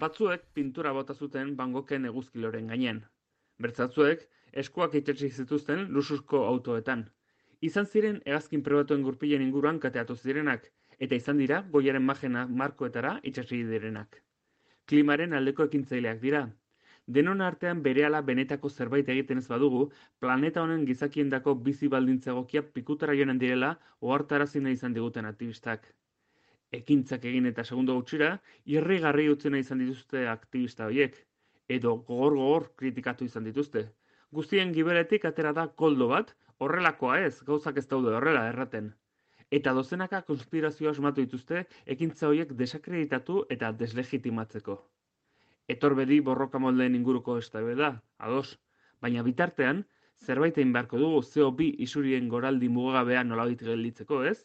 Batzuek pintura bota zuten Van Goghen eguzkiloren gainean. Bertzatzuek eskuak itsatsik zituzten luxuzko autoetan. Izan ziren hegazkin pribatuen gurpilen inguruan kateatu zirenak, eta izan dira goiaren magena markoetara itsatsi direnak. Klimaren aldeko ekintzaileak dira. Denon artean berehala benetako zerbait egiten ez badugu, planeta honen gizakiendako bizi baldintza egokiak pikutara joanen direla ohartarazi nahi izan diguten aktivistak. Ekintzak egin eta segundo gutxira, irrigarri utzi nahi izan dituzte aktivista horiek, edo gogor kritikatu izan dituzte. Guztien gibeletik atera da koldo bat, horrelakoa ez, gauzak ez daude horrela erraten. Eta dozenaka konspirazioa asmatu dituzte ekintza horiek desakreditatu eta deslegitimatzeko. Etorbedi borroka moldeen inguruko eztabaida, ados, baina bitartean, zerbait egin beharko dugu CO2 isurien goraldi mugagabea nolabait gelditzeko, ez?